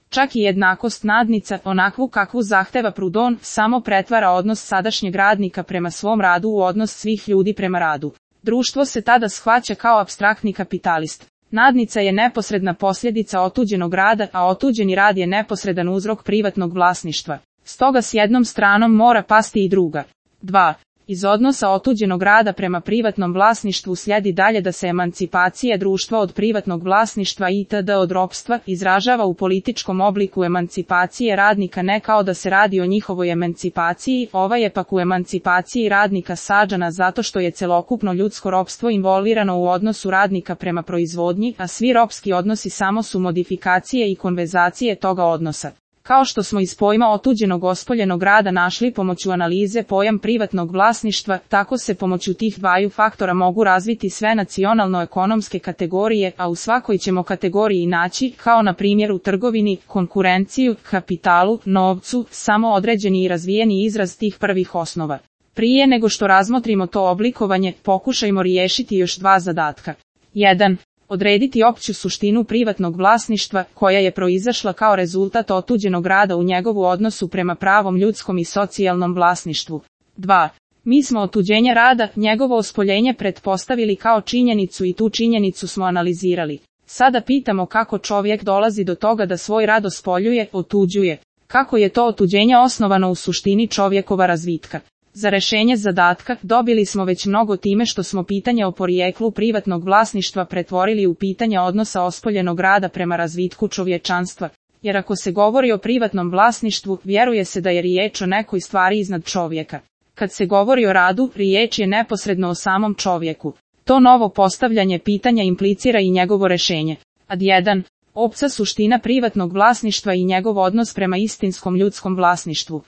Čak i jednakost nadnica, onakvu kakvu zahteva Proudhon, samo pretvara odnos sadašnjeg radnika prema svom radu u odnos svih ljudi prema radu. Društvo se tada shvaća kao apstraktni kapitalist. Nadnica je neposredna posljedica otuđenog rada, a otuđeni rad je neposredan uzrok privatnog vlasništva. Stoga s jednom stranom mora pasti i druga. 2. Iz odnosa otuđenog rada prema privatnom vlasništvu slijedi dalje da se emancipacija društva od privatnog vlasništva itd. Od ropstva izražava u političkom obliku emancipacije radnika, ne kao da se radi o njihovoj emancipaciji, ova je pak u emancipaciji radnika sađana zato što je celokupno ljudsko ropstvo involvirano u odnosu radnika prema proizvodnji, a svi ropski odnosi samo su modifikacije i konverzacije toga odnosa. Kao što smo iz pojma otuđenog ospoljenog rada našli pomoću analize pojam privatnog vlasništva, tako se pomoću tih dvaju faktora mogu razviti sve nacionalno-ekonomske kategorije, a u svakoj ćemo kategoriji naći, kao na primjer u trgovini, konkurenciju, kapitalu, novcu, samo određeni i razvijeni izraz tih prvih osnova. Prije nego što razmotrimo to oblikovanje, pokušajmo riješiti još dva zadatka. 1. Odrediti opću suštinu privatnog vlasništva, koja je proizašla kao rezultat otuđenog rada u njegovu odnosu prema pravom ljudskom i socijalnom vlasništvu. 2. Mi smo otuđenje rada, njegovo ospoljenje pretpostavili kao činjenicu i tu činjenicu smo analizirali. Sada pitamo kako čovjek dolazi do toga da svoj rad ospoljuje, otuđuje. Kako je to otuđenje osnovano u suštini čovjekova razvitka? Za rješenje zadatka dobili smo već mnogo time što smo pitanje o porijeklu privatnog vlasništva pretvorili u pitanje odnosa ospoljenog rada prema razvitku čovječanstva. Jer ako se govori o privatnom vlasništvu, vjeruje se da je riječ o nekoj stvari iznad čovjeka. Kad se govori o radu, riječ je neposredno o samom čovjeku. To novo postavljanje pitanja implicira i njegovo rješenje. Ad 1. Opća suština privatnog vlasništva i njegov odnos prema istinskom ljudskom vlasništvu.